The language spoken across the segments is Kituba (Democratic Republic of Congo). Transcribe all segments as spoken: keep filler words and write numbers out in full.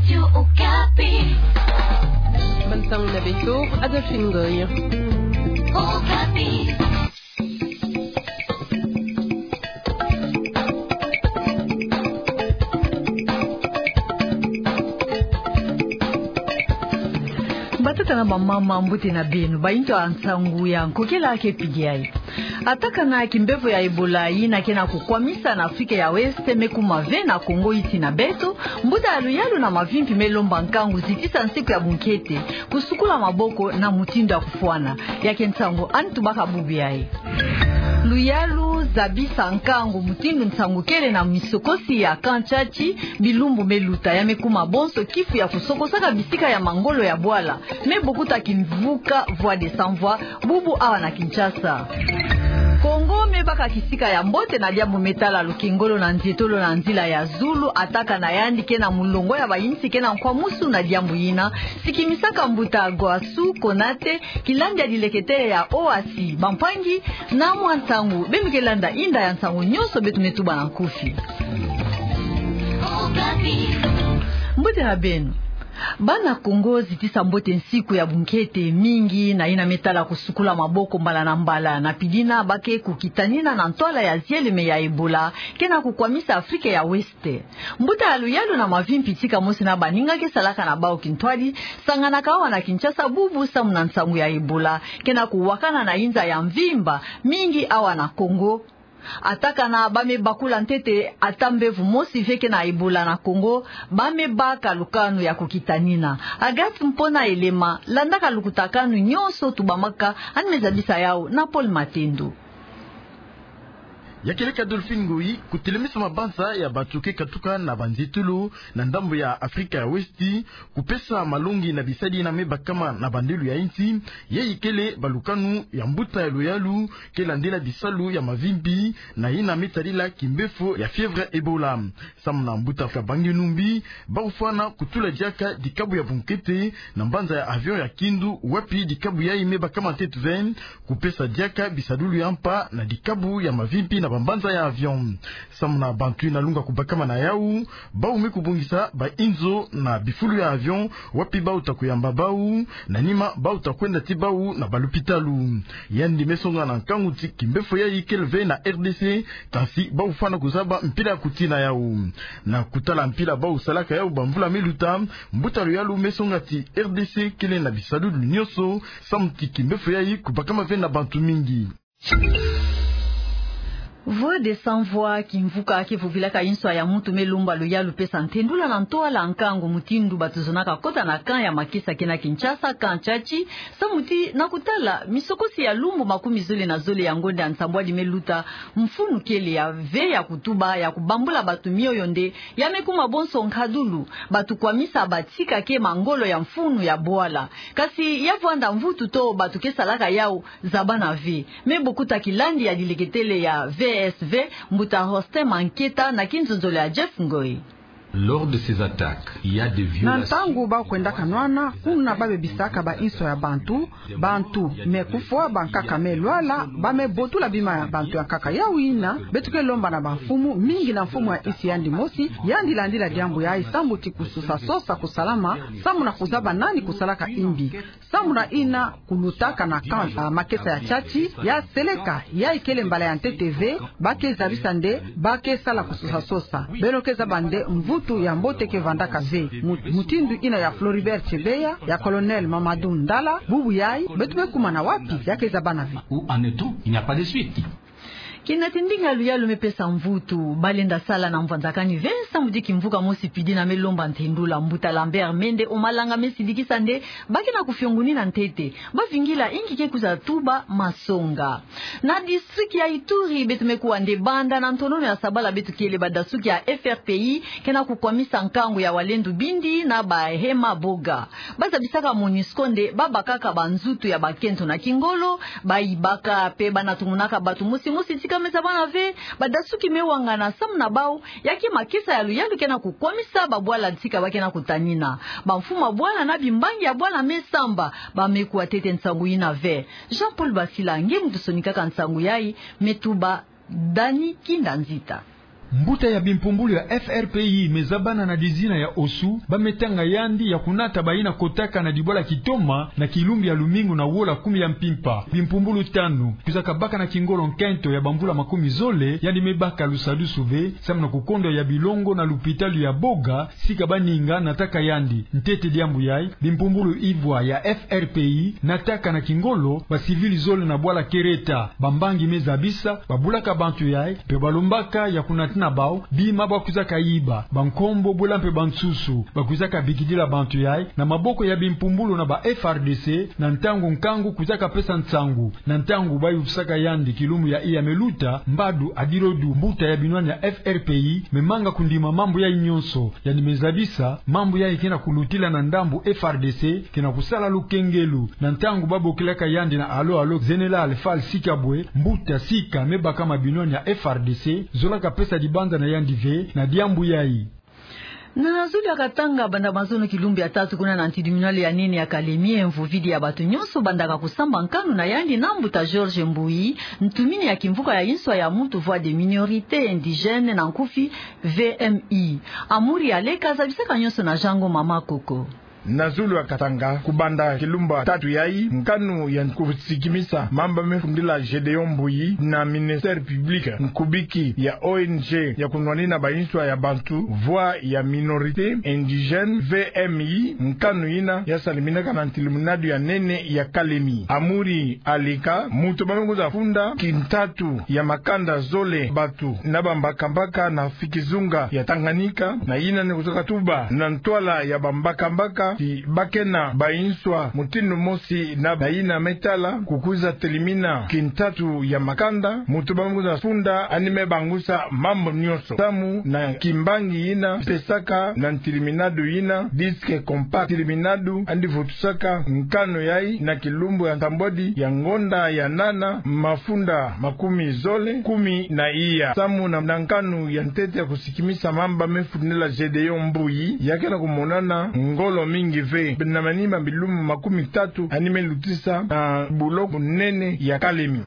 Radio Okapi. Bantang na beto, Adolphine Ngoy. Okapi. Batata na bamama, mbote na beno, bayindu ya nsangu ya nkokela ke pidi ayi. Atakana ya kimbevo ya Ebola yina ke na kukwamisa na Afrika ya Ouest me kuma ve na Congo iti na beto, mbuta ya luyalu na mavimpi me lomba nkangu zitisa nsiku ya bunkete, kusukula maboko na mutindu ya kufwana. Ya ke nsangu ani tubaka bubu yayi. Luyalu zabisa nkangu mutindu nsangu kele na misokosi ya Camp Tchatchi, bilumbu me luta, ya me kuma bonso kifu ya kusokosaka bisika ya mangolo ya bwala me bokuta kimvuka Voix des Sans Voix, bubu awa na Kinshasa. Congo me baka kisika ya mbote na diambu me tala lukengolo na nzietolo na nzila ya zulu, atakana yandi ke na mulongo ya bayinsi ke na nkwamusu na diambu yina, sikimisaka mbuta Guassou Konaté, kilandi ya dileketele ya OACI, bampangi, na mwa nsangu, beno ke landa inda ya nsangu nyonso beto me tuba na nkufi. Mbote na beno. Bana Congo zitisa mbote nsiku ya bunkete mingi na yina me tala kusukula maboko mbala na mbala, na pidina ba ke kukitanina na ntwala ya zieleme ya Ebola ke na kukwamisa Afrika ya Ouest. Mbuta ya luyalu na mavimpi tika mosi na baninga ke salaka na bawu kintwadi, sanganaka awa na Kinshasa bubu samu na nsangu ya Ebola ke na kuwakana na inza ya mvimba mingi awa na Congo. Atakana ba me bakula ntete ata mbevo mosi ve ke na Ebola na Congo, ba me baka lukanu ya kukitanina. Agathe Mpona Elema, landaka lukutakanu nyonso tubamaka, ani me zabisa yawu na Paul Matendo. Ya keleka Adolphine Ngoyi, kutelemisa mabanza ya bato ke katuka na banzietolo na ndambu ya Afrika ya Ouest, kupesa malongi na bisadi yina me bakama na bandelo ya insi, yayi kele balukanu ya mbuta ya luyalu ke landila bisalu ya mavimpi na yina me tadila kimbefo ya fièvre Ebola. Samu na mbuta Fabien Numbi, ba kufwana kutula diaka dikabu ya bunkete na mbanza ya avion ya Kindu, wapi dikabu yayi me bakama ntete ve, kupesa diaka bisadulu ya mpa na dikabu ya mavimpi na bambanza ya avion. Samu na bantu yina lunga kubakama na yawu, bawu me kubongisa bainzo na bifulu ya avion, wapi bawu ta kuyamba bawu, na nima bawu ta kwenda tii bawu na balupitalu. Yandi me songa na nkangu ti kimbefo yayi kele ve na R D C, kansi bawu fwana kuzaba mpila ya kutina yawu. Na kutala mpila bawu salaka yawu bamvula me luta, mbuta luyalu me songa ti R D C kele na bisadulu nyonso, samu ti kimbefo yayi kubakama ve na bantu mingi. Voix des Sans Voix, kimvuka ke vovilaka inswa ya muntu me lomba luyalu pesa ntendula na ntwala nkangu mutindu bato zonaka kota na camp ya makesa ke na Kinshasa, Camp Tchatchi, samu ti na kutala misokosi ya lumbu makumi zole na zole ya ngonda ya nsambwadi me luta, mfunu kele ya ve ya kutuba, ya kubambula bato mioyo nde, ya me kuma bonso nkadulu, bato kwamisa batika ke mangolo ya mfunu ya bwala. Kasi ya vwanda mvutu to bato ke salaka yawu, zabana ve. Me bokuta kilandi ya dileketele ya V S V, mbuta Hostin Manketa na kinzonzolo ya Jeff Ngoy. Lors de ces attaques, il y a des violations. Na ntangu ba kwendaka nwana, kuna ba bebisaka bainso ya bantu, bantu me kufwa, bankaka me lwala, ba me botula bima ya bantu ya nkaka. Yawu yina beto ke lomba na bamfumu, mingi na mfumu ya insi yandi mosi, yandi landila diambu yayi samu ti kusosa sosa kusalama, samu na kuzaba nani kusalaka imbi. Samu na yina kulutaka na camp, ah, makesa ya Tchatchi, ya seleka, yayi kele mbala ya ntete ve, ba ke zabisa nde, ba ke sala kusosa sosa. Beno ke zaba nde mvutu ya mbote ke vandaka ve. Mu-, mutindu yina ya Floribert Chebeya, ya Colonel Mamadou Ndala, bubu yayi, beto me kuma na wapi, ya ke zabana ve. Où en est-on ? Il n'y a pas de suite. Kina ti ndinga luyalu me pesa mvutu, ba lenda sala na mvwanzakani ve samu ti kimvuka mosi pidi na me lomba ntendula. Mbuta Lambert Mende Omalanga me sidikisa nde, ba ke na kufiongunina ntete, ba vingila inki ke kwiza tuba masonga. Na district ya Ituri, beto me kuwa nde banda na ntonono ya sabala beto kele, badasuki ya F R P I ke na kukwamisa nkangu ya Wazalendo bindi na bahema boga. Ba zabisaka MONUSCO nde ba bakaka banzutu ya bakento na kingolo, ba yibaka pe ba na tumunaka bato mosi mosi tika me zabana ve, badasuki me wangana samu na bawu, ya ke makesa ya luyalu ke na kukwamisa babwala tika ba ke na kutanina. Bamfumu ya bwala na bimbangi ya bwala me samba, ba me kuwa ntete nsangu yina ve. Jean-Paul Basila nge muntu sonikaka nsangu yayi, me tuba Dany Kinda Nzita. Mbuta ya bimpumbulu ya F R P I me zabana na dizina ya Osu, ba me tanga yandi ya kunata bayina kotaka na dibwala Kitoma na kilumbu ya lumingu na wola kumi ya mpimpa. Bimpumbulu tanu, kwizaka baka na kingolo nkento ya bamvula makumi zole, yandi me baka lusadusu ve, samu na kukondo ya bilongo na lupitalu ya Boga, sika baninga nataka yandi. Ntete diambu yayi, bimpumbulu ivwa ya F R P I nataka na kingolo bacivil zole na bwala Kereta. Bambangi me zabisa, babulaka bantu yayi, mpe balombaka ya kunatina bawu bima ba kwizaka yiba, bankombo, bwela mpe bansusu. Ba kwizaka bikidila bantu yayi na maboko ya bimpumbulu na ba F R D C, na ntangu nkangu kwizaka pesa nsangu. Na ntangu ba yutusaka yandi kilumbu ya iya me luta, Mbadu Adirodu, mbuta ya binwani ya F R P I, me manga kundima mambu yayi nyonso. Yandi me zabisa, mambu yayi ke na kulutila na ndambu F R D C, ke na kusala lukengelu. Na ntangu ba bokilaka yandi na alo alo, Général Fall Sikabwe, mbuta sika me bakama binwani ya F R D C, zolaka pesa dibanza na yandi ve na diambu yayi. Na zulu ya Katanga, banda mazono kilumbu ya tatu kuna na ntidimino ya nene ya Kalemie, mvuvidi ya bantu nyonso bandaka kusamba nkanu na yandi na mbuta Georges Mbuyi, ntumini ya kimvuka ya inswa ya muntu, Voix des minorités indigènes na nkufi, V M I. Amuri Aleka zabisaka nyonso na Jean Ngoma Makoko. Na zulu ya Katanga, kubanda kilumbu ya tatu yayi, nkanu ya kusikimisa mamba me fundila Gédéon Mbuyi na ministère public, nkubiki ya O N G ya kunwanina ba inswa ya bantu, Voix ya minorités indigènes, V M I, nkanu yina ya saliminaka na ntiliminadu ya nene ya Kalemie. Amuri Aleka, muntu ba me kwiza funda kintatu ya makanda zole, bantu na bambakambaka na fikizunga ya Tanganyika, na yina ni kuzoka tuba na ntwala ya bambakambaka ti ba ke na ba inswa mutindu mosi na bayina me tala, kukwiza telimina kintatu ya makanda, muntu ba me kwiza funda yandi me bangusa mambu nyonso. Samu na kimbangi yina pesaka na ntiliminadu yina, disque compact, ntiliminadu yandi vutusaka nkanu yayi na kilumbu ya ntambwadi ya ngonda ya nana, mafunda makumi zole kumi na iya. Samu na, na nkanu ya ntete ya kusikimisa mamba me fundila Gédéon Mbuyi, ya ke na kumonana ngolo mingi ve. Na manima bilumbu makumi tatu yandi me lutisa na buloko nene ya Kalemie.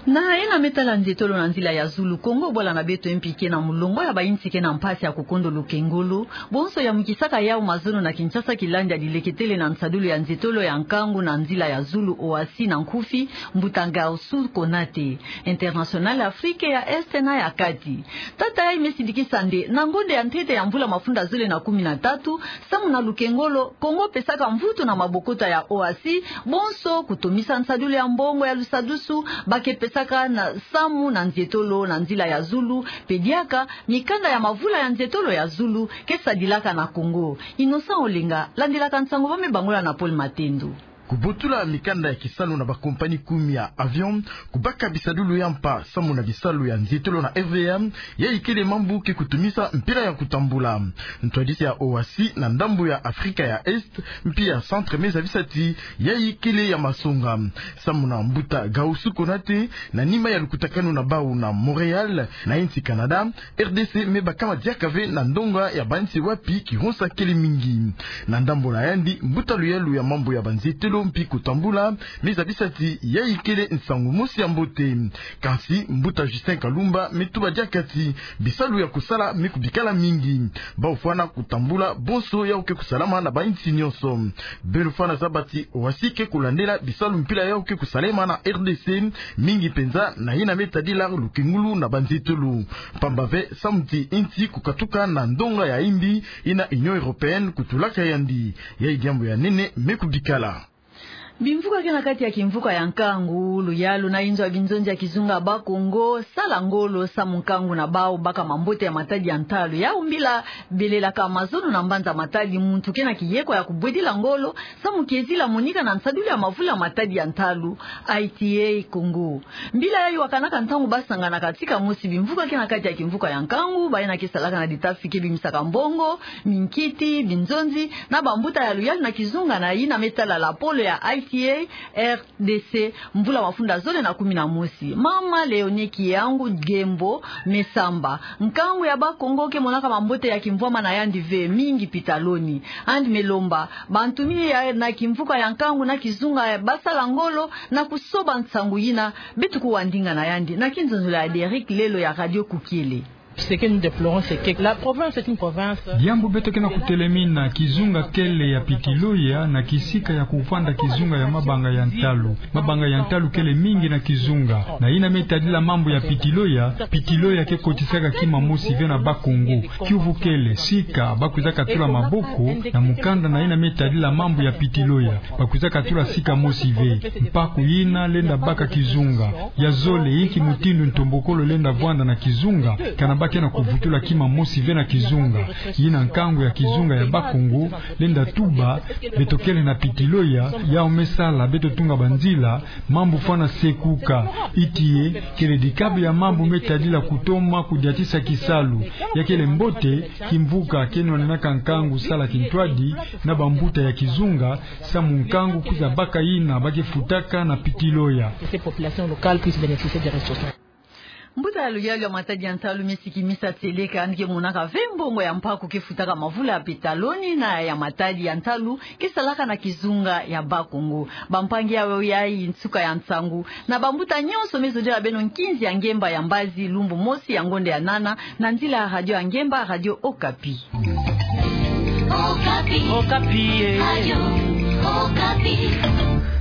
Na yena me tala nzietolo na nzila ya zulu, Kongo bwala na beto, M P I ke na mulongo ya ba insi ke na mpasi ya kukondo lukengolo. Bonso ya mukisaka yawu mazono na Kinshasa, kilandi ya dileketele na nsadulu ya nzietolo ya nkangu na nzila ya zulu, OACI na nkufi, mbuta Gaoussou Konate, international Afrique ya Est na ya Kati. Tata yayi me sidikisa nde na ngonda ya ntete ya mvula mafunda zole na kumi na tatu, samu na lukengolo, Kongo pesaka mvutu na mabokota ya OACI, bonso kutomisa nsadulu ya mbongo ya lusadusu ba ke pesaka na samu na nzietolo na nzila ya zulu, mpe diaka mikanda ya mavula ya nzietolo ya zulu ke sadilaka na Kongo. Innocent Olenga landilaka nsangu ba me bangola na Paul Matendo. Kubotula mikanda ya kisalu na ba compagnie kumi ya avion, kubaka bisadulu ya mpa samu na bisalu ya nzietolo na R V M, yayi kele mambu ke kutumisa mpila ya kutambula. Ntwadisi ya OACI na ndambu ya Afrika ya Est mpi ya Centre me zabisa ti yayi kele ya masonga. Samu na mbuta Gaoussou Konate, na nima ya lukutakanu na bawu na Montréal, na insi Canada, R D C me bakama diaka ve na ndonga ya ba insi wapi kihonsa kele mingi. Na ndambu na yandi, mbuta luyalu ya mambu ya ba nzietolo mpi kutambula me zabisa ti yayi kele nsangu mosi ya mbote. Kansi mbuta Justin Kalumba me tuba diaka ti bisalu ya kusala me kubikala mingi. Bawu fwana kutambula bonso yawu ke kusalama na ba insi nyonso. Beno fwana zaba ti OACI ke kulandela bisalu mpila yawu ke kusalema na R D C, mingi mpenza na yina me tadila lukengulu na ba nzietolo. Pamba ve samu ti insi kukatuka na ndonga ya imbi yina Union Européenne kutulaka yandi. Yayi diambu ya nene me kubikala. Bimvuka ke na kati ya kimvuka ya nkangu, luyalu na inzo ya binzonzi ya kizunga Bakongo, sala ngolo samu nkangu na bawu baka mambote ya matadi ya ntalu. Yawu mbila belelaka mazono na mbanza Matadi, muntu ke na kiyeko ya kubwedila ngolo samu kiezila monika na nsadulu ya mavula matadi ya ntalu, I T A Congo. Mbila yayi wakanaka ntangu ba sanganaka tika mosi bimvuka ke na kati ya kimvuka ya nkangu, bayina ke salaka na ditafi ke bimisaka mbongo, minkiti, binzonzi, na bambuta ya luyalu na kizunga na yina me tala lapolo ya I T A. T A R D C, mvula mafunda zole na kumi na mosi. Mama Léonie Kiangu Gembo Mesamba. Nkangu ya Bakongo ke monaka mambote ya kimvwama na yandi ve mingi pitaloni. Yandi me lomba bantu mingi ya na kimvuka ya nkangu na kizunga ya basala ngolo na kusoba nsangu yina beto kuwa ndinga na yandi. Na kinzonzolo ya Derrick Lelo ya Radio Kukiele. Ce que nous déplorons, c'est que la province est une province. Diambu beto ke na kutelemina, kizunga kele ya Pitiloya na kisika ya kuvanda kizunga ya mabanga ya ntalu. Mabanga ya ntalu kele mingi na kizunga. Na yina me tadila mambu ya Pitiloya, Pitiloya ke kotisaka kima mosi ve na Bakongo. Kiuvu kele, sika, ba kwizaka tula maboko na mukanda na yina me tadila mambu ya Pitiloya. Ba kwizaka tula sika mosi ve. Mpaku yina lenda baka kizunga. Ya zole, inki mutindu ntombokolo lenda vwanda na kizunga, kana ba ke na kuvutula kima mosi ve na kizunga. Yina nkangu ya kizunga ya Bakongo lenda tuba, beto kele na Pitiloya, yau me sala beto tunga banzila, mambu fwana sekuka. Itiye, kele dikabi ya mambu me tadila kutoma kudiatisa kisalu. Ya kele mbote, kimvuka ke nwanenaka nkangu sala kintwadi na bambuta ya kizunga, samu nkangu kwiza baka yina ba ke futaka na Pitiloya. Que ces populations locales puissent bénéficier des ressources. Mbuta ya luyalu ya matadi ya ntalu me sikimisa tieleka, yandi ke monaka ve mbongo ya mpaku ke futaka mavula ya pitaloni na ya matadi ya ntalu ke salaka na kizunga ya Bakongo. Bampangi, yayi nsuka ya nsangu. Na bambuta nyonso me zodila beno nkinzi ya ngemba ya mbazi lumbu mosi ya ngonde ya nana, na nzila ya radio ya ngemba, Radio Okapi. Okapi. Okapi, eh. Radio Okapi.